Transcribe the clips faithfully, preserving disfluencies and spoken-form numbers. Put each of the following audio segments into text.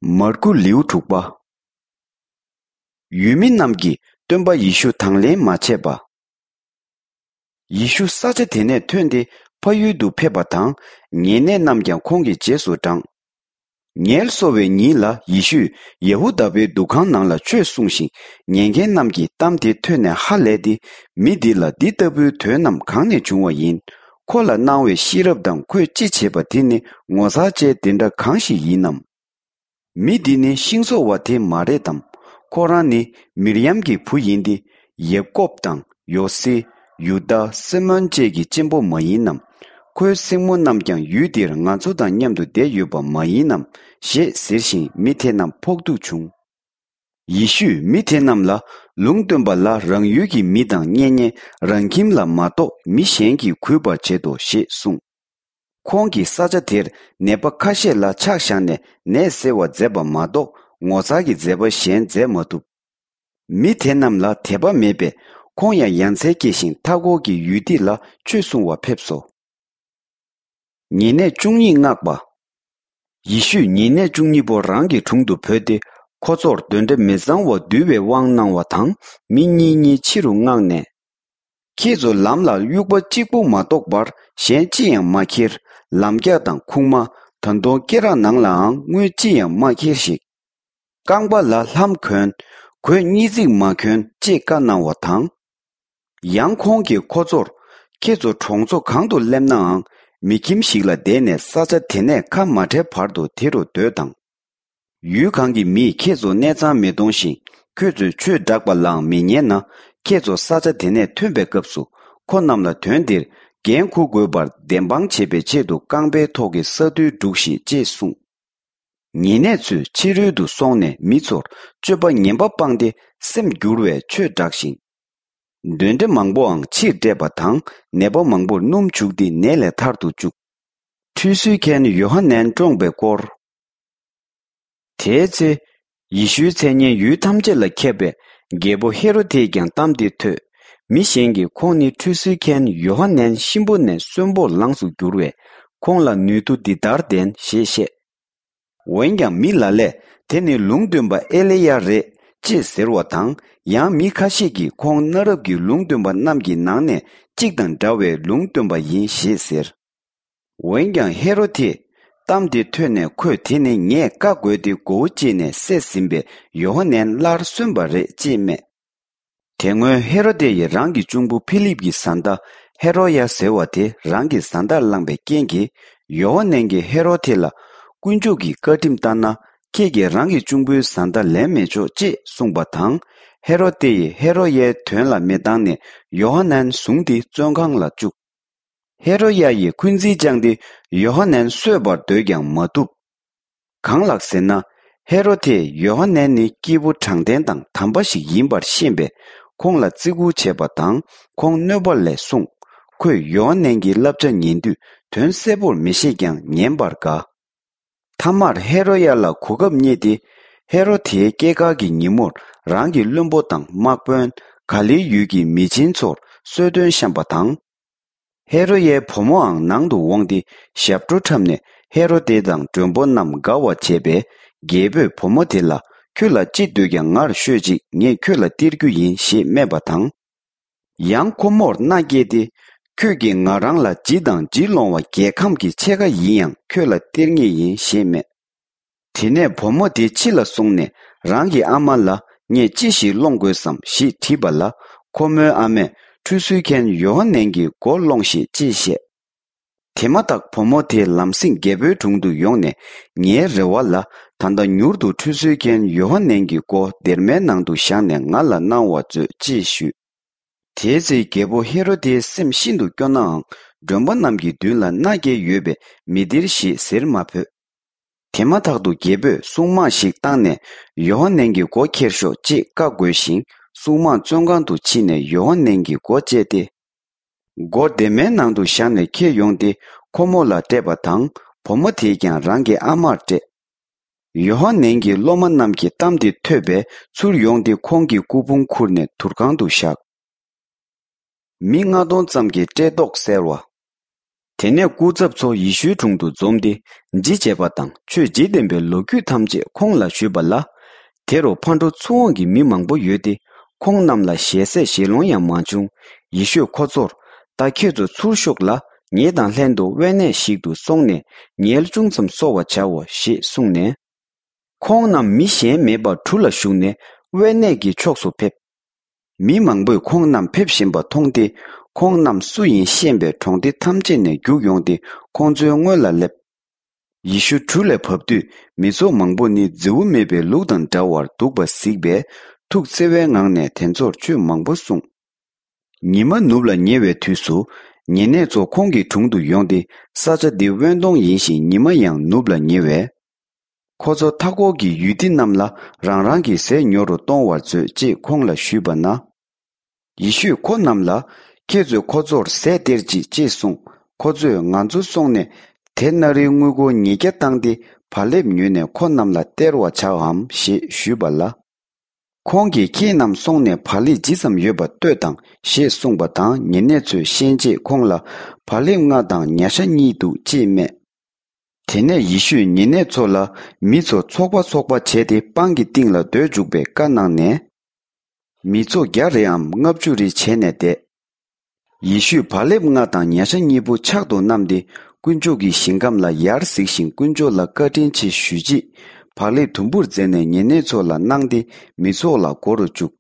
མར་ཁུ་ལེའུ་དྲུག་པ། ཡུལ་མི་རྣམས་ཀྱིས་སྟོན་པ་ཡེ་ཤུ་དང་ལེན་མ་བྱས་པ། ཡེ་ཤུ་ས་ཆ་དེ་ནས་ཐོན་ཏེ་ཕ་ཡུལ་དུ་ཕེབས་པ་དང་། ཉེ་གནས་རྣམས་ཀྱང་ཁོང་གི་རྗེས་སུ་འབྲངས། ངལ་གསོ་བའི་ཉིན་ལ་ཡེ་ཤུས་ཡ་ཧུ་དཱ་པའི་འདུ་ཁང་ནང་ལ་ཆོས་གསུངས་ཤིང་། ཉན་མཁན་རྣམས་ཀྱིས་གཏམ་དེ་ཐོས་ནས་ཧ་ལས་ཏེ། མི་འདི་ལ་འདི་ལྟ་བུའི་དོན་རྣམས་གང་ནས་བྱུང་བ་ཡིན། ཁོ་ལ་གནང་བའི་ཤེས་རབ་དང་ཁོས་ཅི་བྱེད་པ་དེ་ནི་ངོ་མཚར་ཅན་དེ་འདྲ་གང་ཞིག་ཡིན་ནམ། མི་འདི་ནི་ཤིང་བཟོ་བ་དེ་མ་རེད་དམ། ཁོ་རང་ནི་མིར་ཡམ་གྱི་བུ་ཡིན་ཏེ། ཡབ་ཀོབ་དང་ཡོ་སེ། ཡུ་དཱ། སི་མོན་བཅས་ཀྱི་གཅེན་པོ་མ་ཡིན་ནམ། ཁོའི་སྲིང་མོ་རྣམས་ཀྱང་ཡུལ་འདིར་ང་ཚོ་དང་མཉམ་དུ་བསྡད་ཡོད་པ་མ་ཡིན་ནམ། ཞེས་ཟེར་ཞིང་མི་དེ་རྣམས་ཕོག་ཐུག་བྱུང་། ཡེ་ཤུས་མི་དེ་རྣམས་ལ། ལུང་སྟོན་པ་ལ་རང་ཡུལ་གྱི་མི་དང་གཉེན་ཉེ་རང་ཁྱིམ་ལ་མ་གཏོགས་མི་གཞན་གྱིས་གུས་པར་བྱེད་དོ་ཞེས་གསུངས། ཁོང་གིས་ས་ཆ་དེར་ནད་པ་ཁ་ཤས་ལ་ཕྱག་བཞག་ནས་ནད་སེལ་བ་མཛད་པ་མ་གཏོགས་ངོ་མཚར་གྱི་མཛད་པ་གཞན་མཛད་མ་ཐུབ། མི་དེ་རྣམས་ལ་དད་པ་མེད་པས་ཁོང་ཡང་ཡ་མཚན་སྐྱེས་ཤིང་མཐའ་འཁོར་གྱི་ཡུལ་སྡེ་ལ་ཆོས་གསུང་བར་ཕེབས་སོ། ཉེ་གནས་བཅུ་གཉིས་མངགས་པ། ཡེ་ཤུས་ཉེ་གནས་བཅུ་གཉིས་པོ་རང་གི་དྲུང་དུ་བོས་ཏེ། ཁོ་ཚོར་གདོན་འདྲེ་མི་གཙང་བ་འདུལ་བའི་དབང་གནང་བ་དང་། མི་གཉིས་གཉིས་ཕྱི་རུ་མངགས་ནས། ཁྱེད་ཚོ་ལམ་ལ་དབྱུག་པ་གཅིག་པུ་མ་གཏོགས་པར་གཞན་ཅི་ཡང་མ་ཁྱེར། ལམ་རྒྱགས་དང་ཁུག་མ། ད་དུང་སྐེ་རགས་ནང་ལའང་དངུལ་ཅི་ཡང་མ་ཁྱེར་ཞིག། རྐང་པ་ལ་ལྷམ་གྱོན། གོས་གཉིས་བརྩེགས་མ་གྱོན་ཅེས་བཀའ་གནང་བ་དང་། ཡང་ཁོང་གིས་ཁོ་ཚོར། ཁྱེད་ཚོ་གྲོང་ཚོ་གང་དུ་སླེབས་ནའང་། མི་ཁྱིམ་ཞིག་ལ་བསྡད་ནས་ས་ཆ་དེ་ནས་ཁ་མ་བྲལ་བར་དུ་དེ་རུ་སྡོད་དང་། ཡུལ་གང་གི་མིས་ཁྱེད་ཚོ་གནས་ཚང་མི་གཏོང་ཞིང་། ཁྱོད་ཚོས་ཆོས་བསྒྲགས་པ་ལའང་མི་ཉན་ན། ཁྱེད་ཚོ་ས་ཆ་དེ་ནས་ཐོན་པའི་སྐབས་སུ། ཁོ་རྣམས་ལ་དོན་འདིར་འགན་འཁུར་དགོས་པར་བདེན་དཔང་བྱེད་པའི་ཆེད་དུ་རྐང་པའི་ཐོག་གི་ས་རྡུལ་སྒྲུགས་ཤིག་ཅེས་གསུངས། ཉེ་གནས་ཚོས་ཕྱི་རོལ་དུ་སོང་ནས་མི་ཚོར་སྤྱོད་པ་ངན་པ་སྤངས་ཏེ་སེམས་བསྒྱུར་བའི་ཆོས་བསྒྲགས་ཤིང་། གདོན་འདྲེ་མང་པོའང་ཕྱིར་བསྐྲད་པ་དང་། ནད་པ་མང་པོར་སྣུམ་བྱུགས་ཏེ་ནད་ལས་ཐར་དུ་བཅུག། ཁྲུས་གསོལ་མཁན་ཡོ་ཧ་ནན་བཀྲོངས་པའི་སྐོར། དེའི་ཚེ། ཡེ་ཤུའི་མཚན་སྙན་ཡུལ་ཐམས་ཅད་ལ་ཁྱབ་པས། རྒྱལ་པོ་ཧེ་རོ་དེས་ཀྱང་གཏམ་དེ་ཐོས། མི་གཞན་གྱིས་ཁོང་ནི་ཁྲུས་གསོལ་མཁན་ཡོ་ཧ་ནན་གཤིན་པོ་ནས་གསོན་པོར་ལངས་སུ་གྱུར་བས། ཁོང་ལ་ནུས་མཐུ་འདི་ལྟར་ལྡན་ཞེས་བཤད། འོན་ཀྱང་མི་ལ་ལས་དེ་ནི་ལུང་སྟོན་པ་ཨེ་ལི་ཡ་རེད་ཅེས་ཟེར་བ་དང་། ཡང་མི་ཁ་ཤས་ཀྱིས་ཁོང་གནའ་རབས་ཀྱི་ལུང་སྟོན་པ་རྣམས་ཀྱི་ནང་ནས་གཅིག་དང་འདྲ་བའི་ལུང་སྟོན་པ་ཡིན་ཞེས་ཟེར། འོན་ཀྱང་ཧེ་རོ་དེས་གཏམ་དེ་ཐོས་ནས། ཁོས་དེ་ནི་ངས་བཀའ་བསྒོས་ཏེ་མགོ་བོ་བཅད་ནས་བསད་ཟིན་པའི་ཡོ་ཧ་ནན་སླར་གསོན་པ་རེད་ཅེས་སྨྲས། དེ་སྔོན་ཧེ་རོ་དེ་ཡིས་རང་གི་གཅུང་པོ་ཕི་ལིབ་ཀྱི་བཟའ་ཟླ་ཧེ་རོ་ཡ་ཟེར་བ་དེ་རང་གི་བཟའ་ཟླར་བླངས་པའི་རྐྱེན་གྱིས། ཡོ་ཧ་ནན་གྱིས་ཧེ་རོ་དེ་ལ། དཀོན་མཆོག་གི་བཀའ་ཁྲིམས་ལྟར་ན། ཁྱེད་ཀྱིས་རང་གི་གཅུང་པོའི་བཟའ་ཟླ་ལེན་མི་ཆོག་ཅེས་གསུངས་པ་དང་། ཧེ་རོ་དེ་ཡིས་ཧེ་རོ་ཡའི་དོན་ལ་མི་བཏང་ནས་ཡོ་ཧ་ནན་བཟུང་སྟེ་བཙོན་ཁང་ལ་བཅུག། ཧེ་རོ་ཡ་ཡིས་འཁོན་འཛིན་བཅངས་ཏེ་ཡོ་ཧ་ནན་གསོད་པར་འདོད་ཀྱང་མ་ཐུབ། གང་ལགས་ཟེར་ན། ཧེ་རོ་དེས་ཡོ་ཧ་ནན་ནི་སྐྱེས་བུ་དྲང་བདེན་དང་དམ་པ་ཞིག་ཡིན་པར་ཤེས་པས། ཁོང་ལ་བརྩི་བཀུར་བྱས་པ་དང་། ཁོང་གནོད་པ་ལས་སྲུང་། ཁོས་ཡོ་ཧ་ནན་གྱི་བསླབ་བྱ་ཉན་དུས་དོན་གསལ་པོར་མི་ཤེས་ཀྱང་ཉན་པར་དགའ། མཐའ་མར་ཧེ་རོ་ཡ་ལ་གོ་སྐབས་རྙེད་དེ། ཧེ་རོ་དེའི་སྐྱེས་སྐར་གྱི་ཉིན་མོར་རང་གི་བློན་པོ་དང་དམག་དཔོན། ག་ལིལ་ཡུལ་གྱི་མི་ཆེན་ཚོར་གསོལ་སྟོན་བཤམས་པ་དང་། ཧེ་རོ་ཡའི་བུ་མོའང་ནང་དུ་འོངས་ཏེ། ཞབས་བྲོ་འཁྲབ་ནས་ཧེ་རོ་དེ་དང་མགྲོན་པོ་རྣམས་དགའ་བར་བྱས་པས། རྒྱལ་པོས་བུ་མོ་དེ་ལ། ཁྱོད་ལ་ཅི་འདོད་ཀྱང་ངར་ཤོད་ཅིག། ངས་ཁྱོད་ལ་སྟེར་རྒྱུ་ཡིན་ཞེས་སྨྲས་པ་དང་། ཡང་ཁོ་མོར་མནའ་བསྐྱལ་ཏེ། ཁྱོད་ཀྱིས་ང་རང་ལ་བྱི་དང་བྱི་ལོང་བ་རྒྱལ་ཁམས་ཀྱི་ཕྱེད་ཀ་ཡིན་ཡང་ཁྱོད་ལ་སྟེར་ངེས་ཡིན་ཞེས་སྨྲས། དེ་ནས་བུ་མོ་དེ་ཕྱི་ལ་སོང་ནས་རང་གི་ཨ་མ་ལ། ངས་ཅི་ཞིག་སློང་དགོས་སམ་ཞེས་དྲིས་པ་ལ། ཁོ་མོའི་ཨ་མས། ཁྲུས་གསོལ་མཁན་ཡོ་ཧ་ནན་གྱི་མགོ་སློང་ཞིག་ཅེས་བཤད། དེ་མ་ཐག་བུ་མོ་དེ་ལམ་སེང་རྒྱལ་པོའི་དྲུང་དུ་ཡོང་ནས། ངའི་རེ་བ་ལ། ད་ལྟ་མྱུར་དུ་ཁྲུས་གསོལ་མཁན་ཡོ་ཧ་ནན་གྱི་མགོ་སྡེར་མའི་ནང་དུ་བཞག་ནས་ང་ལ་གནང་བར་མཛོད་ཅེས་ཞུས། དེའི་ཚེ་རྒྱལ་པོ་ཧེ་རོ་དེའི་སེམས་ཤིན་ཏུ་སྐྱོ་ནའང་། མགྲོན་པོ་རྣམས་ཀྱི་མདུན་ལ་མནའ་བསྐྱལ་ཡོད་པས་མི་སྟེར་ཞེས་ཟེར་མ་ཕོད། དེ་མ་ཐག་ཏུ་རྒྱལ་པོས་སྲུང་དམག་ཞིག་བཏང་ནས། ཡོ་ཧ་ནན་གྱི་མགོ་ཁྱེར་ཤོག་ཅེས་བཀའ་བསྒོས་ཤིང་། སྲུང་དམག་བཙོན་ཁང་དུ་ཕྱིན་ནས་ཡོ་ཧ་ནན་གྱི་མགོ་བཅད་དེ། མགོ་སྡེར་མའི་ནང་དུ་བཞག་ནས་ཁྱེར་ཡོང་སྟེ། ཁོ་མོ་ལ་སྤྲད་པ་དང་། བུ་མོ་དེས་ཀྱང་རང་གི་ཨ་མར་སྤྲད། ཡོ་ཧ་ནན་གྱི་སློབ་མ་རྣམས་ཀྱིས་གཏམ་དེ་ཐོས་པས། ཚུར་ཡོང་སྟེ་ཁོང་གི་སྐུ་ཕུང་ཁུར་ནས་དུར་ཁང་དུ་བཞག། མི་ལྔ་སྟོང་ཙམ་གྱི་བཀྲེས་ལྟོགས་བསལ་བ། དེ་ནས་སྐུ་ཚབ་ཚོ་ཡེ་ཤུའི་དྲུང་དུ་འཛོམས་ཏེ་ཇི་བྱས་པ་དང་ཆོས་ཇི་བསྟན་པའི་ལོ་རྒྱུས་ཐམས་ཅད་ཁོང་ལ་ཞུས་པ་ལ། དེ་རུ་ཕར་འགྲོ་ཚུར་འོང་གི་མི་མང་པོ་ཡོད་དེ་ཁོང་རྣམས་ལ་ཞལ་ཟས་བཞེས་ལོང་ཡང་མ་བྱུང་། ཡེ་ཤུས་ཁོ་ཚོར། ད་ཁྱེད་ཚོ་ཚུར་ཤོག་ལ་ངེད་དང་ལྷན་དུ་དབེན་གནས་ཤིག་ཏུ་སོང་ནས་ཉལ་ཅུང་ཙམ་གསོ་བར་བྱའོ་ཞེས་གསུངས་ནས། ཁོང་རྣམས་མི་གཞན་མེད་པར་གྲུ་ལ་ཞུགས་ནས་དབེན་གནས་ཀྱི་ཕྱོགས་སུ་ཕེབས། མི་མང་པོས་ཁོང་རྣམས་ཕེབས་བཞིན་པ་མཐོང་སྟེ་ཁོང་རྣམས་སུ་ཡིན་ཤེས་པའི་གྲོང་སྡེ་ཐམས་ཅད་ནས་རྒྱུགས་ཡོང་སྟེ་ཁོང་ཚོའི་སྔོན་ལ་སླེབས། ཡེ་ཤུ་གྲུ་ལས་བབས་དུས་མི་ཚོགས་མང་པོ་ནི་རྫི་བོ་མེད་པའི་ལུག་དང་འདྲ་བར་འདུག་པ་གཟིགས་པས་ཐུགས་བརྩེ་བའི་ངང་ནས་དེ་ཚོར་ཆོས་མང་པོ་གསུངས། ཉི་མ་ནུབ་ལ་ཉེ་བའི་དུས་སུ། ཉེ་གནས་ཚོ་ཁོང་གི་དྲུང་དུ་ཡོང་སྟེ་ས་ཆ་འདི་དབེན་སྟོང་ཡིན་ཞིང་ཉི་མ་ཡང་ནུབ་ལ་ཉེ་བས། ཁོ་ཚོ་མཐའ་འཁོར་གྱི་ཡུལ་སྡེ་རྣམས་ལ་རང་རང་གི་ཟས་ཉོ་རུ་གཏོང་བར་མཛོད་ཅེས་ཁོང་ལ་ཞུས་པ་ན། ཡེ་ཤུས་ཁོ་རྣམས་ལ། ཁྱེད་ཚོས་ཁོ་ཚོར་ཟས་སྟེར་ཅིག་ཅེས་གསུངས། ཁོ་ཚོས་ང་ཚོ་སོང་ནས་དེ་ན་རིའི་དངུལ་སྒོར་ཉིས་བརྒྱ་བཏང་སྟེ་བག་ལེབ་ཉོས་ནས་ཁོ་རྣམས་ལ་སྟེར་བར་བྱའམ་ཞེས་ཞུས་པ་ལ། ཁོང་གིས་ཁྱེད་རྣམས་སོང་ནས་བག་ལེབ་ཇི་ཙམ་ཡོད་པ་ལྟོས་དང་ཞེས་གསུངས་པ་དང་ཉེ་གནས་ཚོས་ཤན་འབྱེད་ཁོང་ལ་བག་ལེབ་ལྔ་དང་ཉ་ཤ་གཉིས་འདུག་ཅེས་སྨྲས། དེ་ནས་ཡེ་ཤུས་ཉེ་གནས་ཚོ་ལ་མི་ཚོ་ཚོགས་པ་ཚོགས་པ་བྱས་ཏེ་སྤང་གི་སྟེང་ལ་སྡོད་འཇུག་པའི་བཀའ་གནང་ནས། མི་ཚོགས་བརྒྱ་རེའམ་ལྔ་བཅུ་རེ་བྱས་ནས་བསྡད། ཡེ་ཤུས་བག་ལེབ་ལྔ་དང་ཉ་ཤ་གཉིས་པོ་ཕྱག་ཏུ་བསྣམས་ཏེ་དཀོན་མཆོག་གི་ཞིང་ཁམས་ལ་ཡར་གཟིགས་ཤིང་དཀོན་མཆོག་ལ་བཀའ་དྲིན་ཆེ་ཞུས་རྗེས་བག་ལེབ་དུམ་བུར་མཛད་ནས་ཉེ་གནས་ཚོ་ལ་གནང་སྟེ་མི་ཚོགས་ལ་བགོ་རུ་བཅུག།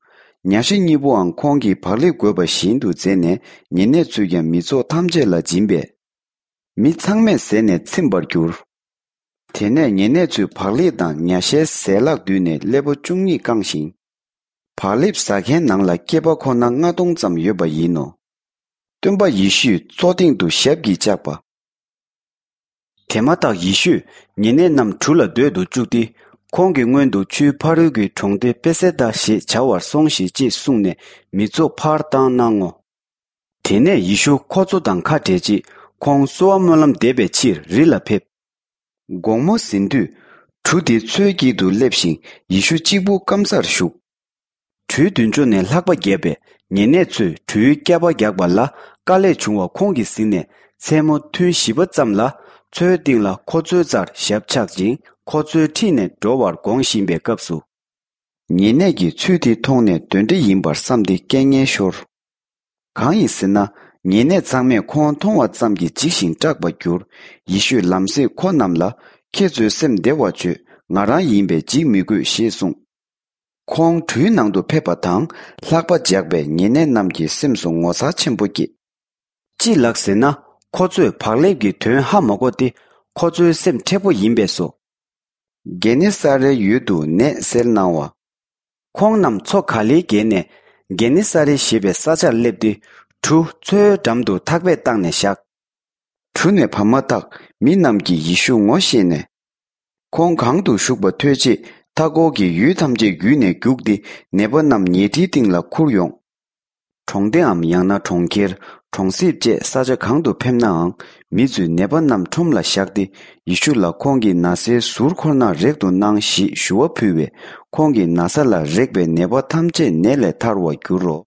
ཉ་ཤ་གཉིས་པོའང་ཁོང་གིས་བག་ལེབ་བགོས་པ་བཞིན་དུ་མཛད་ནས་ཉེ་གནས་ཚོས་ཀྱང་མི་ཚོགས་ཐམས་ཅད་ལ་སྦྱིན་པས། མི་ཚང་མས་ཟས་ནས་ཚིམ་པར་གྱུར། དེ་ནས་ཉེ་གནས་ཚོས་བག་ལེབ་དང་ཉ་ཤའི་ཟས་ལྷག་བསྡུས་ནས་སླེ་པོ་བཅུ་གཉིས་བཀང་ཞིང་། བག་ལེབ་ཟ་མཁན་ནང་ལ་སྐྱེས་པ་ཁོ་ན་ལྔ་སྟོང་ཙམ་ཡོད་པ་ཡིན་ནོ། སྟོན་པ་ཡེ་ཤུས་མཚོ་སྟེང་དུ་ཞབས་ཀྱིས་བཅགས་པ། དེ་མ་ཐག་ཡེ་ཤུས་ཉེ་གནས་རྣམས་གྲུ་ལ་སྡོད་དུ་བཅུག་སྟེ། ཁོང་གི་སྔོན་དུ་ཆུའི་ཕ་རོལ་གྱི་གྲོང་སྡེ་པེ་སེ་དཱ་ཞེས་བྱ་བར་སོང་ཞིག་ཅེས་གསུངས་ནས་མི་ཚོགས་ཕར་བཏང་གནང་ངོ་། དེ་ནས་ཡེ་ཤུ་ཁོ་ཚོ་དང་ཁ་བྲལ་རྗེས་ཁོང་གསོལ་བ་སྨོན་ལམ་འདེབས་པའི་ཕྱིར་རི་ལ་ཕེབས། དགོང་མོ་ཟིན་དུས། གྲུ་དེ་མཚོའི་དཀྱིལ་དུ་སླེབས་ཤིང་ཡེ་ཤུ་གཅིག་པུ་སྐམ་སར་བཞུགས། གྲུའི་མདུན་ཕྱོགས་ནས་ལྷགས་པ་བརྒྱབ་པས་ཉེ་གནས་ཚོས་གྲུའི་སྐྱ་བ་རྒྱག་པ་ལ་དཀའ་ལས་བྱུང་བ་ཁོང་གིས་གཟིགས་ནས་མཚན་མོ་ཐུན་བཞི་པ་ཙམ་ལ་མཚོའི་སྟེང་ལ་ཁོ་ཚོའི་རྩར་ཞབས་བཅགས་ཤིང་ཁོ་ཚོའི་འཁྲིས་ནས་འགྲོ་བར་དགོངས་བཞིན་པའི་སྐབས་སུ། ཉེ་གནས་ཀྱིས་ཚུལ་དེ་མཐོང་ནས་གདོན་འདྲེ་ཡིན་པར་བསམས་ཏེ་སྐད་ངན་ཤོར། གང་ཡིན་ཟེར་ན། ཉེ་གནས་ཚང་མས་ཁོང་མཐོང་བ་ཙམ་གྱིས་འཇིགས་ཤིང་སྐྲག་པར་གྱུར། ཡེ་ཤུས་ལམ་སེང་ཁོ་རྣམས་ལ། ཁྱེད་ཚོའི་སེམས་བདེ་བར་བྱོས། ང་རང་ཡིན་པས་འཇིགས་མི་དགོས་ཞེས་གསུངས། ཁོང་གྲུའི་ནང་དུ་ཕེབས་པ་དང་ལྷགས་པ་འཇགས་པས་ཉེ་གནས་རྣམས་ཀྱི་སེམས་སུ་ངོ་མཚར་ཆེན་པོ་སྐྱེས། ཅི་ལགས་ཟེར་ན། ཁོ་ཚོས་བག་ལེབ་ཀྱི་དོན་ཧ་མ་གོ་སྟེ། ཁོ་ཚོའི་སེམས་མཁྲེགས་པོ་ཡིན་པས་སོ། གེ་ནེ་ས་རའི་ཡུལ་དུ་ནད་སེལ་གནང་བ། ཁོང་རྣམས་མཚོ་ག་ལེའི་བརྒལ་ནས་གེ་ནེ་ས་རེ་ཞེས་པའི་ས་ཆར་སླེབས་ཏེ། གྲུ་མཚོའི་འགྲམ་དུ་ཐག་པས་བཏགས་ནས་བཞག། གྲུ་ནས་བབས་མ་ཐག་མི་རྣམས་ཀྱིས་ཡེ་ཤུ་ངོ་ཤེས་ནས། ཁོང་གང་དུ་བཞུགས་པ་ཐོས་རྗེས་མཐའ་འཁོར་གྱི་ཡུལ་ཐམས་ཅད་བརྒྱུད་ནས་རྒྱུགས་ཏེ་ནད་པ་རྣམས་ཉལ་ཁྲིའི་སྟེང་ལ་ཁུར་ཡོང་། གྲོང་སྡེའམ་ཡང་ན་གྲོང་ཁྱེར། གྲོང་གསེབ་བཅས་ས་ཆ་གང་དུ་ཕེབས་ནའང་མི་ཚོས་ནད་པ་རྣམས་ཁྲོམ་ལ་བཞག་སྟེ་ཡེ་ཤུ་ལ་ཁོང་གི་ན་བཟའི་ཟུར་ཁོ་ན་རེག་ཏུ་གནང་ཞེས་ཞུ་བ་ཕུལ་བས་ཁོང་གི་ན་བཟའ་ལ་རེག་པས་ནད་པ་ཐམས་ཅད་ནད་ལས་ཐར་བར་འགྱུར་རོ།